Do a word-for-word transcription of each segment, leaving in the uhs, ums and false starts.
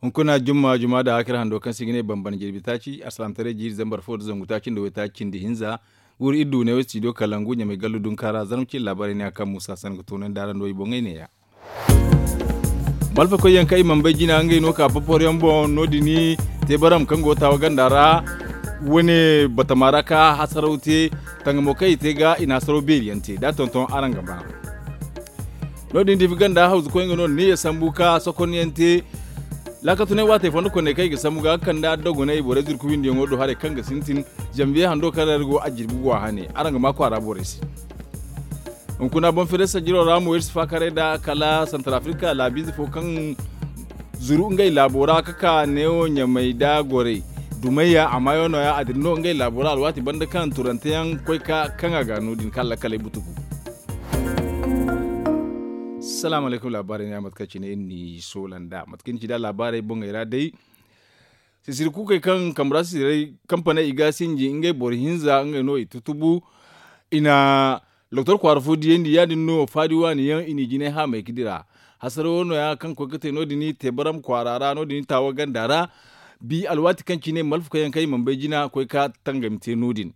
Hunkuna jumma juma da hakira hando kaŋ se i ga ne bambam jirbi taaci alsalaamtaray jiiri zambar fo nda zangu taaci nda waytaaci cindi hinza. Guuru iri du ne wo studio kalangu ɲamay gallu dunkaara zarma cine laabaarey ne a kaŋ muusa sanda ga toonandi araŋ do i boŋey neeya. Malfakoy yaŋ kaŋ i mana bay jina ngey no ka popor yaŋ boŋ no- din teebaram kaŋ go taawa ganda ra. Wane batama ra ka hasaraw te tangamo kaŋ i te ga i na hasaraw beeri yaŋ te da a tonton araŋ ga ba. No- din diifi ganda hawzu koy nga no ni ya sambu ka sokon yaŋ te. Laakatunay waatey fondo konney kaŋ i ga sambu ga kanda dogonay borey zurku windi yaŋo do haray kaŋ ga sintin. Zambiye hando kaŋ ra iri go a jirbi go a hane araŋ ga ma kwaara borey se. Hunkuna boŋ feere sajiro ra mo iri si faakaray nd'a kala santar afrika laabiize fo kaŋ zuru ngey laabo ra ka ka neewo ɲamay nda gorey dumayya a maayo nooya a dira no ngey laabo ra alwaati banda kaŋ turante yaŋ koy ka kaŋ a ga no- din kaŋ lakaley butugu. Salaamu alaykum laabaarey ne a mate kaŋ cine iri n'i soola nd'a mate kaŋ ni ci nd'a laabaarey boŋey ra day. Sisiri kuukey kaŋ kambe ra sisiray kampaney i ga sinji ngey boro hinza ngey no i tutubu. I na doktor kwaara fo diyandi ya- din no faadi waani yaŋ i n'i jinay haamay ga dira. Hasara wo nooya kaŋ koy ga te no- din teebaram kwaara ra no- din taawa ganda ra. Bi alwaati kaŋ cine malfa koy yaŋ kaŋ i mana bay jina koy ka tangami te no- din.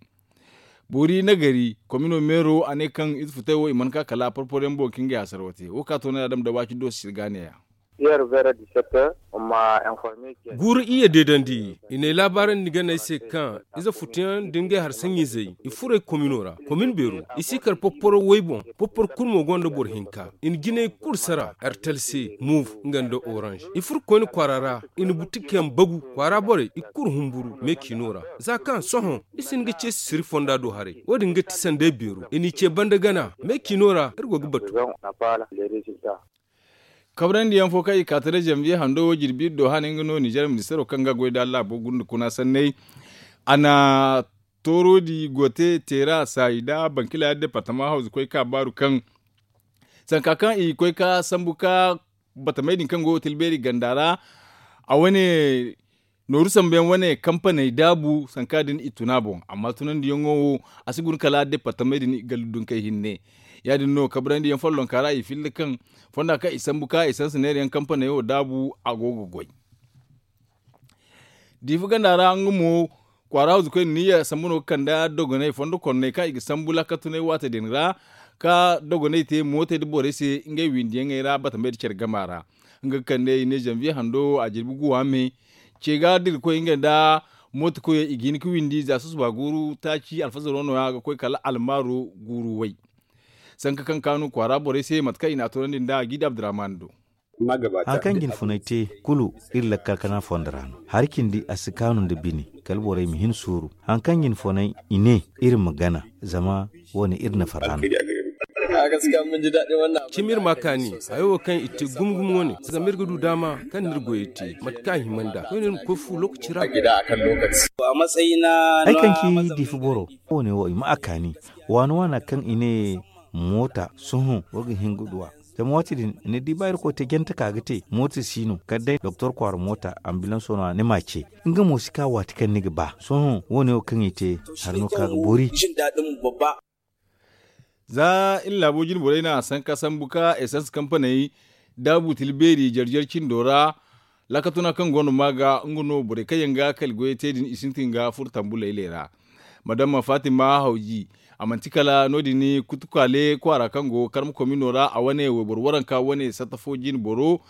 Boori nagari komino meero a ne kaŋ ize futay wo i mana ka kala porpor yaŋ boŋ ka ngey hasara wo te wo ka toonay a dama da waaci do sisiri ga neeya. Guuru iyye deedandi i n'ay laabaarandi ganey se kaŋ ize futuyaŋ nda ngey harsaɲizey i furey komino ra komin beero. I si kar popporo woy boŋ popporo kulu mo gonda boro hinka i na jinay kulu sara artel se move nga nda orange i furo koyne kwaara ra. I na butikayaŋ bagu kwaara borey i kulu humburu meecino ra. Za kaŋ sohõ i si hin ga ce sisiri fonda do haray wo- din ga ti sanday beero i n'i ce banda gana meecino ra iri go ga batu. Kabrandi yaŋ fo kaŋ i ka taray zanbiye hando wo jirbi iri do hane nga no ninzeer ministeero kaŋ ga goy da laabo gunda kuna sanney. A na toorodi gote teera saayi nda bankila departama hawzu koy ka baaru kaŋ sanka kaŋ i koy ka sambu ka batamey din kaŋ go ga tilbeeri ganda ra. A wane nooru sambu yaŋ wane kampaney daabu sanka din i tuna boŋ amma tunandiyaŋo wo a si guna kala departamey din i gallu dunkey hinne. Ya- din no kabrandi yaŋ follonka ra i filla kaŋ fonda kaŋ i sambu ka i sansa neera yaŋ kampaney wo daabu a go ga goy. Diifa ganda ra nga mo kwaara hawzu koy niyya sambu no ga kande dogonay fondo konnay kaŋ i ga sambu laakatunay waate din ra ka dogonay te mootay nda borey se ngey windiyaŋey ra batamey nda care gama ra. Nga ga kande i ne zanviye hando wo a jirbi guwa me ce ga da i ga koy ngey nda mooto koyey i ga hin ga windi za susuba guuru taaci alfazaro no- ya ga koy kala almaaro guuru way. Sanka kaŋ kaanu kwaara borey se mate kaŋ i n'a toonandi nd'a giida abdurahman do. Hari kaŋ ga ni funay te kulu iri lakkal kana fondo ra no hari cindi a si kaanu nda bine kala borey ma hin suuru. Hari kaŋ ga ni funay i ne iri ma gana zama wo- ne iri na farra no. Cimi iri ma a kaani hayo wo kaŋ i te gumo gumo wo- ne zama iri ga du daama kaŋ no iri goyey te mate kaŋ a hima nd'a koyne iri ma koy fu lookaci ra. Hari kaŋ ci diifa boro wo- ne wo i ma a kaani waana waana kaŋ i ne moota sohõ wo ga hin ga du a. Zama waati din ni di ba irkoy te jante ka ga te moota si no kala day doktor kwaara moota ambilanso no- ya ni m'a ce nga mo si ka waati kaŋ ni ga ba sohõ wo- ne wo kaŋ i te hari no ka ga boori. Za iri laabo jine borey no a sanka sambu ka esans kampaney daabu tila beeri jare jare cindo ra. Laakatuna kaŋ go no ma ga nga no borey kaŋ yaŋ ga kali goyey te din i sintin ga furo tambu laylay ra. Madama fatima hawji a manti kala no- din kutukaale kwaara kaŋ go karma komino ra a wane wayboro waranka wane satta fo jine boro.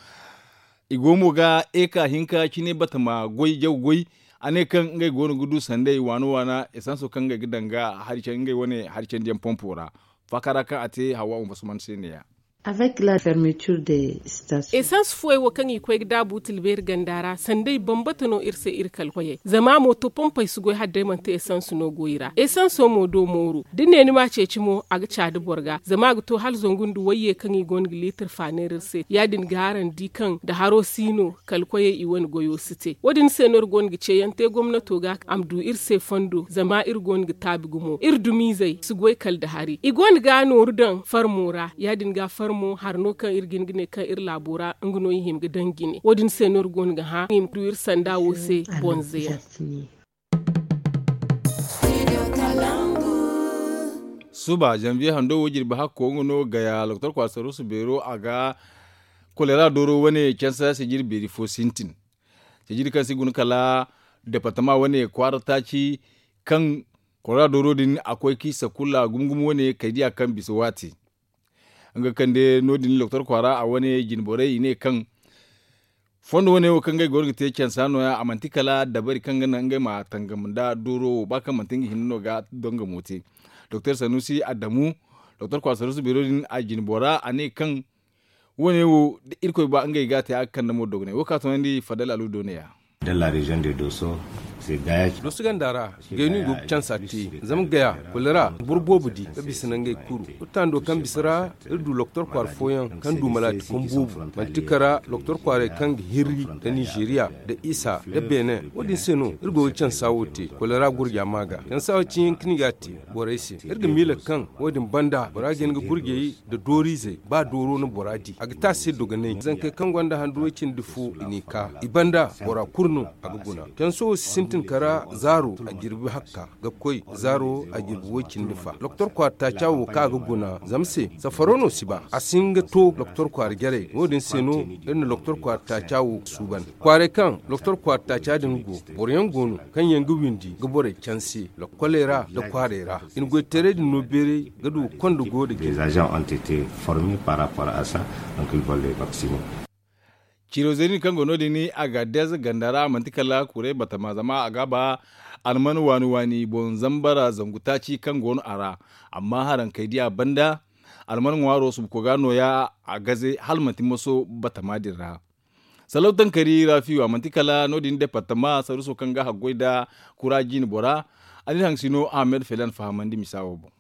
I go mo ga eka hinka cine batama goy jaw goy. A ne kaŋ ngey go no ga du sanday waana waana esanso kaŋ ngey ga daŋ ga hari candi ngey wane hari candiyaŋ pompo ra. Faaka ra kaŋ a te hawa unfasman se ne- ya. Esans fuwey wo kaŋ i koy ga daabu tilbeeri ganda ra sanday bambata no iri se iri kala koyey zama mooto pompey si goy hala day manti esans no go i ra esanso mo do mooru da ni ne ni m'a ceeci mo a ga caadi boro ga zama a ga to hala zangu nda wayye kaŋ i go no ga liitir faaneeri iri se ya- din ga araŋ di kaŋ nda haro si no kala koyey i wane goyo si te wo- din se no iri go no ga ceeyaŋ te gomnato ga a ma du iri se fondo zama iri go no ga taabi gumo iri dumiizey si goy kala nda hari i go no ga nooru daŋ farmo ra ya- din ga farmo hari no kaŋ iri ga hin ga ne kaŋ iri laabo ra nga no i hima ga daŋ jine wo- din se no iri go no ga hã i ma du iri sanda wo se bonze yaŋ. Suba zanviye hando wo jirbi hakko nga no gaya loktor kwaara saruusu beero a ga kolera dooro wane cansa se jirbi beeri fo sintin. Sijiri kaŋ si guna kala departama wane kwaara taaci kaŋ kora dooro din a koy k'i sakulla gumo gumo wane kay diya kaŋ bisa waati. Nga kande no- din doktor kwaara a wane jine borey i ne kaŋ fondo wane wo kaŋ ngey go no ga te cansa no- ya a manti kala dabari kaŋ ga naŋ ngey ma tangam nda dooro wo ba kaŋ manti nga hinne no ga dongamo te. Doktor sanusi adamu doktor kwaara sanusi beero din a jine bora a ne kaŋ wo- ne wo da irkoy ba ngey ga a te a ga kande mo dogonay wo kaŋ a toonandi fadal alu do ne- ya. Dooso ganda ra gaynu i go ga cansa te zama gaya kula ra boro boobo di ga bisa nangey kuru. Wutando kaŋ bisa ra iri du loktor kwaara fooyaŋ kaŋ du malaati kom boobo manti kara loktor kwaarey kaŋ ga hirri nda nizeeriya nda isa nda benin wo- din se no iri go ga cansa wo te kula ra gurja ma ga cansa wo ciyaŋ kaŋ i ga a te borey se. Iri ga miila kaŋ wo- din banda bora ga hin ga gurjey nda dooriizey ba dooro no bora di a ga te a se dogonay zankey kaŋ gonda handu way- cindi fo i n'i ka i banda bora kulu no a ga guna. Canso wo si sintin kara zaaro a jirbi hakka ga koy zaaro a jirbi way- cindi fa doktor kwaara taaca wo kaŋ a ga guna zama se safaro no si ba a si hin ga to doktor kwaara jarey wo- din se no iri na doktor kwaara taaca wo suuban. Kwaarey kaŋ doktor kwaara taaca din go boro yaŋ go no kaŋ yaŋ ga windi ga borey canse lokkoley ra nda kwaarey ra i na goytaray din no beeray ga du konda go nda jina. Ciro zeeri din kaŋ go no- din agadez ganda ra manti kala kuray batama zama a ga ba alman waani waani boŋ zambara zangu taaci kaŋ go no a ra. Amma haraŋ kay diya banda alman ŋwaaro subuko ga no- ya a gaze hala manti maso batama din ra. Salaw tankari rafiyo a manti kala no- din departama saruso kaŋ ga haggoy nda kura jiine bora a n'iri haŋ sino ahmed felan fahamandi misa wo boŋ.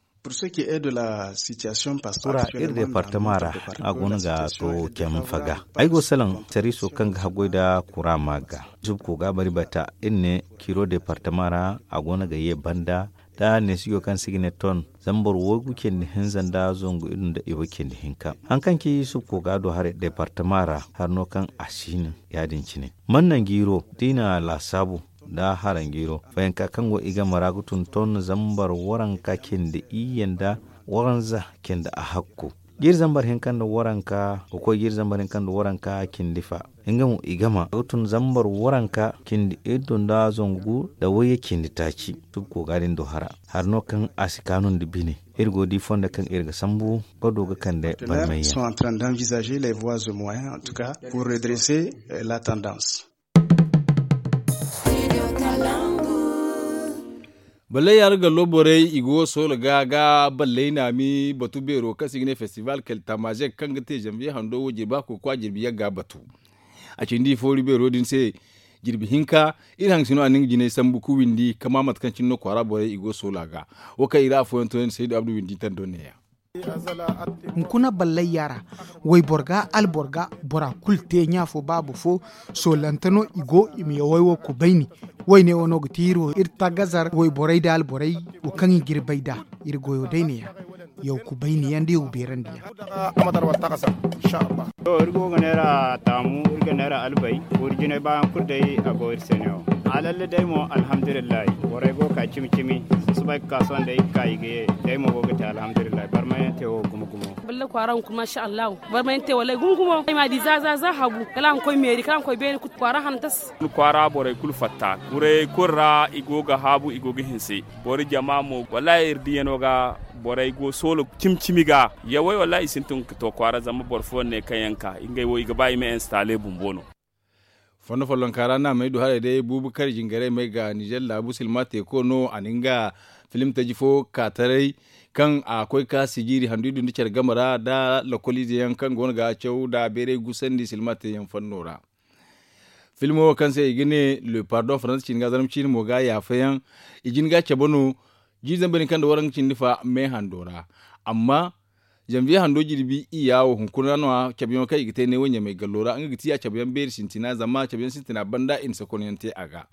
Kura iri departama ra a go no ga to cem faga ay go salaŋ sariiso kaŋ ga haggoy nda kura ma ga. Subko ga bari bata iri ne kiro departama ra a go no ga ye banda da neesijo kaŋ se i ga ne ton zama boro waygu cindi hinza nda zangu iri nda iwo cindi hinka. Haŋ kaŋ ci subko ga do haray departama ra hari no kaŋ a si no ya- din cine. Manna jiiro da i na laasaabu nda haranjiiro fayanka kaŋ go i game ra ga tun ton zambar waranka cindi iyye nda waranza cindi ahakku. Jiiri zambar hinka nda waranka ga koy jiiri zambar hinka nda waranka cindi fa. Nga mo i game ga tun zambar waranka cindi iddu nda zangu nda wayye cindi taaci. Tubko ga din do hara hari no kaŋ a si kaanu nda bine. Iri go ga di fondo kaŋ iri ga sambu ga du ga kande barmay yaŋ. Balley yaara gallo borey i go soola ga ga balley naami batu beero kaŋ se i ga ne festival keltamazek kaŋ ga te zanviye hando wo jirbi hakko ga koy a jirbi yagga batu. A cindi foori beero din se jirbi hinka iri haŋ si no a na nga jinay sambu ga windi kama mate kaŋ cine no kwaara borey i go soola ga. Wo kaŋ i ra afooyaŋ to yaŋ saydu abdu windi tando neeya. Hunkuna ballayya ra wayboro ga alboro ga bora kulu te ɲa fo baaba fo. Soolante no i go i ma yaway wo kubayni. Wayne wo no ga ti iri wo iri tagazar wayborey da alborey wo kaŋ i ga iri bay nd'a. Iri goyo day neeya yaw kubayni yaŋ da yaw beerandi yaŋ. To iri go ga neera taamu iri ga neera albay. Wuri jinay baayaŋ kulu day a go iri se neewo. Alalle day mo alhamdulillahi borey go ga ka cimi cimi. Susubay ga ka sohõ day ga ka i ga ye. Day mo go ga te alhamdulillahi barmayaŋ te wo gumo gumo. Balla kwaara hunkuna masha allahu. Barmayaŋ te wallay gumo gumo ay m'a di za za za habu kala a ma koy meeri kala a ma koy beene kulu kwaara hantas. Kwaara borey kulu fatta kurayey kulu ra i go ga haabu i go ga hinse. Boro jama mo wallaahi iri diiyano ga borey go soolo cimi cimi ga. Yawey wallaahi i sintin ga to kwaara zama boro fooyaŋ ne kaŋ yaŋ ka ngey wo i ga ba i ma installe bumbo no. Fondo follonka ra no a may du haray day buubu kar jingaray may ga nizer laabu silma teeko no a na nga filim taji fo ka taray kaŋ a koy ka sijiiri handu i du nda care game ra nda lokoliize yaŋ kaŋ go no ga caw nda beeray gusandi silma te yaŋ fanno ra. Filmo wo kaŋ se i ga ne le pardon faransa ciine ga zarma ciine mo ga yaafa yaŋ. I jin ga cabe no jiiri zambar din kaŋ nda waranka cindi fa me hando ra. Amma zanviye hando jirbi iyya wo hunkuna no- ya cabe yaŋo kaŋ i ga te ne wo ɲamay gallo ra nga ga ti a cabe yaŋ beeri sintina zama cabe yaŋ sintina banda i na sakonyaŋ te a ga.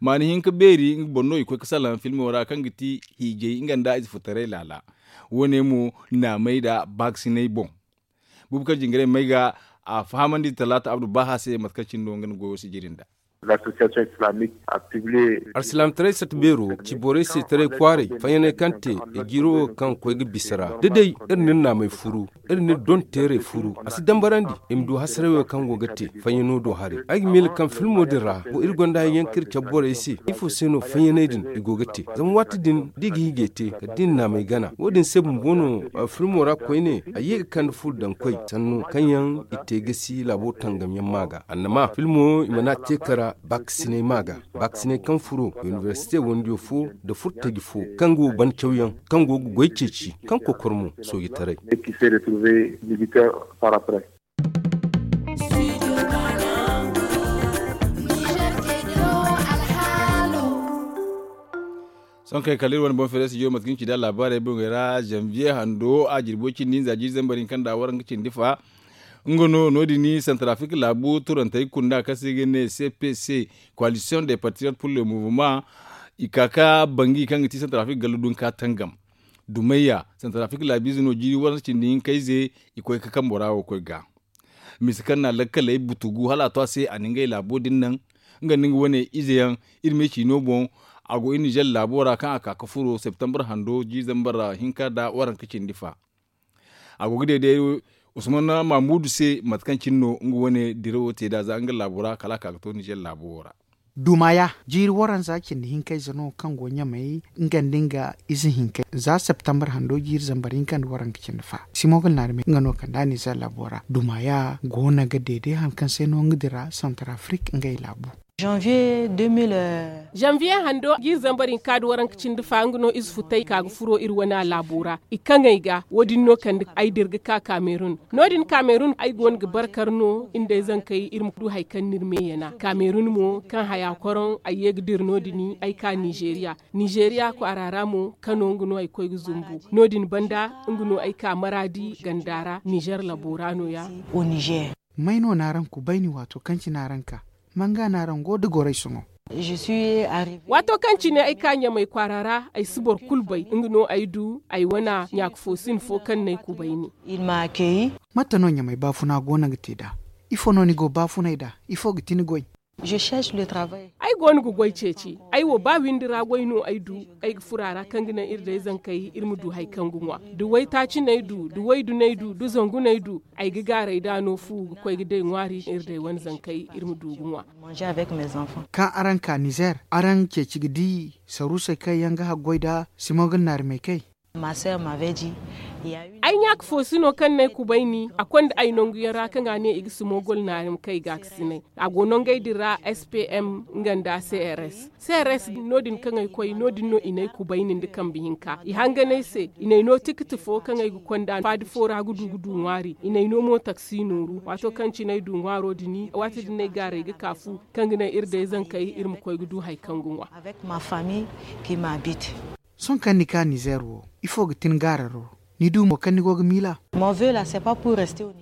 Maani hinka beeri nga boŋ no i koy ga salaŋ filmo ra kaŋ ga ti hiijay nga nda ize futaray laala. Wo- ne mo naamay nda baakasinay boŋ. Buubu kaŋ jingaray may ga a fahamandi talaata abdu baaha se mate kaŋ cine no nga na goyo sijiri nd'a. Arsilaamtaray sata beero ci borey se taray kwaaray fayyaney kaŋ te i jiiro kaŋ koy ga bisa ra da day iri na iri naamey furu, iri na iri donteerey furu a si dambarandi i ma du hasaray wo kaŋ go ga te fayyano do haray. Ay ga miila kaŋ filmo din ra wo iri gonda yaŋ kaŋ iri cabe borey se ifo se no fayyaney din i go ga te? Zama waati din da i ga hijay te kala da i na naamey gana wo- din se bumbo no filmo ra koyne a ye ga kande furo daŋ koy sannu kaŋ yaŋ i te gasi laabo tangam yaŋ ma ga annama filmo i mana te kara baakasiney ma ga. Baakasiney kaŋ furo inibersite wandiyo fo nda furtaji fo kaŋ go ga ban cawyaŋ kaŋ go ga goy ceeci kaŋ kokor mo soojitaray. Sohõ kay kala iri wane boŋ feerey studio mate kaŋ ci nda laabaarey boŋey ra zanviye hando a jirbo cindi hinza jiiri zambar hinka nda waranka cindi fa. Nga no no- din santarafik laabu turantey kunda kaŋ se i ga ne cpc, koalisiyoŋ de patriyot pur le muvuma. I ka ka bangi kaŋ ga ti santarafik gallu dunka tangam dumayya santarafik laabiize no jiiri waranka cindi hinkayze. I koy ka kambo ra wo koy ga misa kaŋ na lakkaley butugu hala a to a se a na ngey laabo din naŋ. Nga nda nga wane ize yaŋ iri ma ay ciino boŋ a go iri nizer laabo ra kaŋ a ka ga furo septembar hando jiiri zambar hinka nda waranka cindi fa. A go ga deede usman mamudu se mate kaŋ cine no nga wane dirawo te nd'a za nga laabo ra kala a ka ga to nizer laabo wo ra. Dumaya jiiri waranza cindi hinkayze no kaŋ go ɲamay nga nda nga ize hinkay za septembar hando jiiri zambar hinka nda waranka cindi fa simogol naarmey nga no kaŋ nda nizer laabo ra dumaya go no ga deede hari kaŋ se no nga dira santarafrik ngey laabu. Zanviye hando jiiri zambar hinka nda waranka cindi fa nga no ize futay ka ga furo iri wane laabo ra i kaŋey ga wo- din no kande ay dira ga ka kamerun. No- din kamerun ay go no ga barkar no iri nda ay zankey iri ma du hari kaŋ no iri meeyana kamerun mo kaŋ haya koroŋ ay ye ga dira no- din ay ka nizeriya. Nizeriya kwaara ra mo kano nga no ay koy ga zumbu no- din banda nga no ay ka maraadi ganda ra nizer labo ra no- ya. May no na araŋ kubayni waato kaŋ cine araŋ ka? Manga no araŋ go nda goray sohõ? Waato kaŋ cine ay ka ɲamay kwaara ra ay si boro kulu bay nga no ay du ay wana ɲaaka fo sin fo kaŋ no ay kubayni. Mate no ɲamay baafuna go no ga te nd'a? Ifo no ni go baafunay nd'a? Ifo ga ti ni goy? Ay go no ga goy ceeci. Ay wo ba windi ra goy no ay du. Ay ga furo a ra kaŋ ga naŋ iri day zankey iri ma du hari kaŋ ga ŋwa da waytaaci no ay du da waydu no ay du da zangu no ay du. Ay ga gaaray nd'a no fu ga koy ga day ŋwaari iri day wane zankey iri ma du ga ŋwa. Kaŋ araŋ ka nizer araŋ ceeci ga di saruusey kaŋ yaŋ ga haggoy nd'a simogol naari may kay? Ay ɲaaka fo si no kaŋ no ay kubayni a konda ay nangu yaŋ ra kaŋ a ne i ga simogol naari ma kay gaakasinay. A go nangey din ra spm nga nda crs. Crs no- din kaŋ ay koy no- din no i n'ay kubayni nda kambe hinka i hangan ay se i n'ay no tikiti fo kaŋ ay ga konda faadi fo ra ga du ga du ŋwaari i n'ay no mo taksi nooru waato kaŋ cine ay du ŋwaaro din waati din no ay gaaray ga ka fu kaŋ ga naŋ iri day zankey iri ma koy ga du hari kaŋ ga ŋwa. Sohõ kaŋ ni ka nizer wo ifo ga tin gaararo? Ni du mo kaŋ ni go ga miila?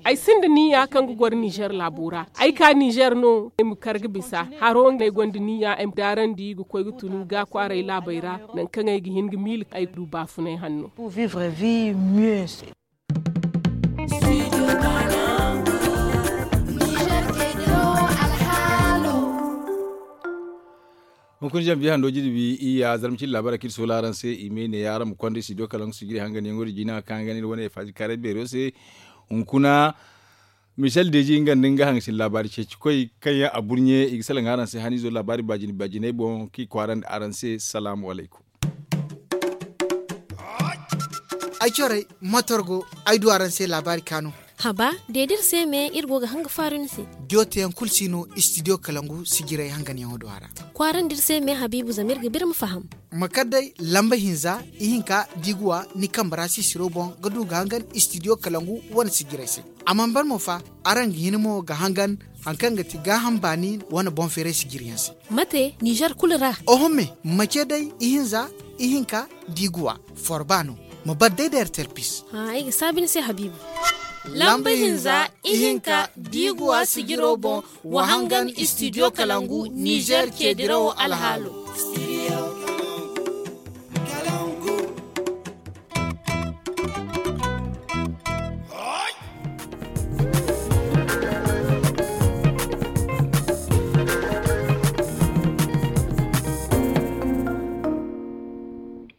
Ay sinda niya kaŋ ga goro nizer laabo ra. Ay ka nizer no ay ma kar ga bisa haro no ay gonda niya ay ma daarandi ga koy ga tunu ga kwaaray laabey ra. Nangu kaŋ ay ga hin ga miila ay du baafunay hanno. Hunkuna zambi hando jirbi iyya zarma cine laabaara kaŋ iri soola araŋ se i ma ay ne ya araŋ ma konda studio kalaŋ sijiri hangan yaŋo din jina kaŋ ga ne iri wane faaji kaaray beero se. Hunkuna michel deji nga nda nga hangasin laabaari ceeci koy kaŋ yaŋ a burɲe i ga salaŋ araŋ se haniizo laabaari baajine baajiney boŋ kaŋ i kwaarandi araŋ se salaamu alaykum. Ay corey matorgo ay du araŋ se laabaari kaanu. Haba, deedi iri se me iri go ga hanga faaru ni se. Diyo teyaŋ kulu si no istidiyo kalangu sijiray hanganyaŋo do a ra. Kwaarandi iri se me habiibu zama iri ga ba iri ma faham. Ma kar day lamba hinza ihinka da i ga wa ni kambe ra sisiro boŋ ga du ga hangan istidiyo kalangu wane sijiray se. A mana ban mo fa, araŋ ga hin mo ga hangan hari kaŋ ga ti gaaham baani wane boŋ feeray sijiriyaŋ se. Mate nizer kulu ra? Oho me, mace day ihinza ihinka da i ga wa forba no. Ma bar day da ertel pis. Ay ga saabi ni se habiibu. Lamba hinza ihinka da i ga wa sijiro boŋ wa hangan istidiyo kalangu nizer ceedirawo alhaalo.